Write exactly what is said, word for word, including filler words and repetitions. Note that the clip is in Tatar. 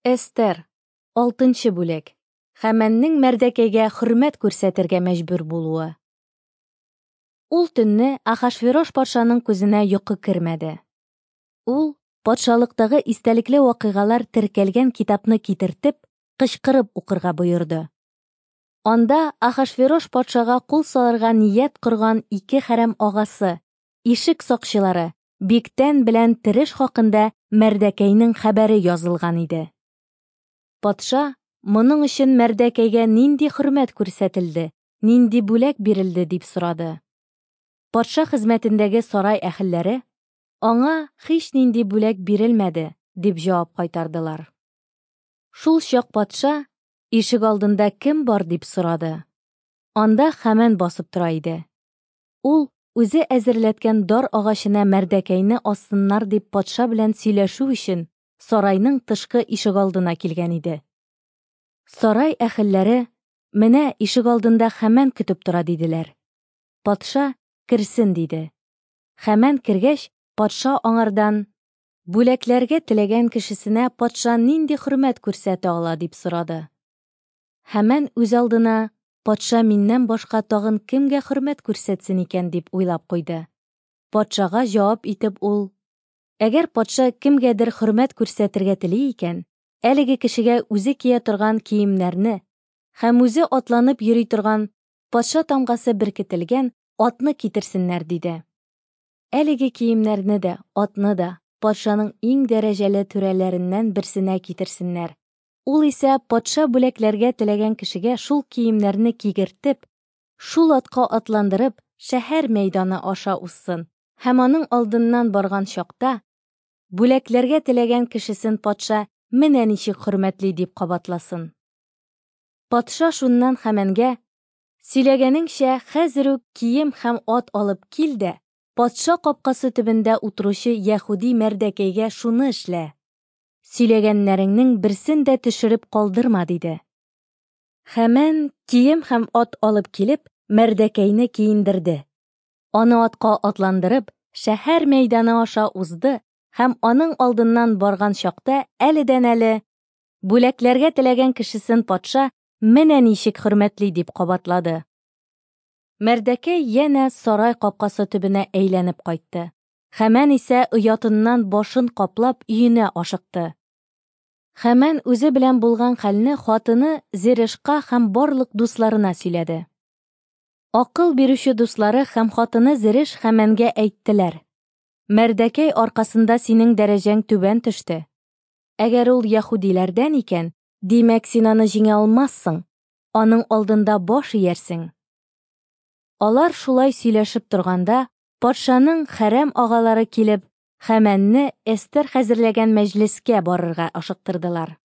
Эстер, алтынчы бүлек. Хәмәннең Мәрдәкәйгә хөрмәт күрсәтергә мәҗбүр булуы. Ул төнне Ахашверош патшаның күзенә йокы кермәде. Ул, патшалыктагы истәлекле вакыйгалар теркәлгән китапны китертеп, кычкырып укырга боерды. Анда Ахашверош патшага кул салырга ният корган ике хәрәм агасы, ишек сакчылары Биктән белән Тереш хакында Мәрдәкәйнең хәбәре язылган иде. Патша, моның өчен Мәрдәкәйгә нинди хөрмәт күрсәтелде, нинди бүләк бирелде, дип сорады. Патша хезмәтендәге сарай әһелләре, аңа һич нинди бүләк бирелмәде, дип җавап кайтардылар. Шул чак патша, ишек алдында кем бар, дип сорады. Анда Хәмән басып тора иде. Ул үзе әзерләткән дар агачына Мәрдәкәйне ассыннар дип патша белән сөйләшү өчен сарайның тышкы ишегалдына килгән иде. Сарай әһелләре, менә ишегалдында Хәмән көтеп тора, диделәр. Патша керсен, диде. Хәмән кергәч, патша аңардан, бүләкләргә теләгән кешесенә патша нинди хөрмәт күрсәтә ала, дип сорады. Хәмән үз алдына, патша миннән башка тагын кемгә хөрмәт күрсәтсен икән, дип уйлап куйды. Патшага җавап итеп ул, әгәр патша кемгәдер хөрмәт күрсәтергә тели икән, әлеге кешегә үзе кия торган киемнәрне һәм үзе атланып йөри торган патша тамгасы беркетелгән атны китерсеннәр, диде. Әлеге киемнәрне дә, атны да патшаның иң дәрәҗәле түрәләреннән берсенә китерсеннәр. Ул исә патша бүләкләргә теләгән кешегә шул киемнәрне кигертеп, шул атка атландырып, шәһәр мәйданы аша узсын һәм аның алдыннан барган чакта, бүләкләргә теләгән кешесен патша менә ничек хөрмәтли, дип кабатласын. Патша шуннан Хәмәнгә, сөйләгәнеңчә, хәзер үк кием һәм ат алып кил дә, патша капкасы төбендә утыручы яһүди Мәрдәкәйгә шуны эшлә. Сөйләгәннәреңнең берсен дә төшереп калдырма, диде. Хәмән кием һәм ат алып килеп, Мәрдәкәйне киендерде. Аны атка атландырып, шәһәр мәйданы аша узды һәм аның алдыннан барган чакта әледән-әле бүләкләргә теләгән кешесен патша менә ничек хөрмәтли, дип кабатлады. Мәрдәкәй янә сарай капкасы төбенә әйләнеп кайтты. Хәмән исә оятыннан башын каплап өенә ашыкты. Хәмән үзе белән булган хәлне хатыны Зерешка һәм барлык дусларына сөйләде. Акыл бирүче дуслары һәм хатыны Зереш Хәмәнгә әйттеләр: Мәрдәкәй аркасында синең дәрәҗәң түбән төште. Әгәр ул яһүдиләрдән икән, димәк син аны җиңә алмассың, аның алдында баш иярсең. Алар шулай сөйләшеп торганда, патшаның хәрәм агалары килеп, Хәмәнне Эстер хәзерләгән мәҗлескә барырга ашыктырдылар.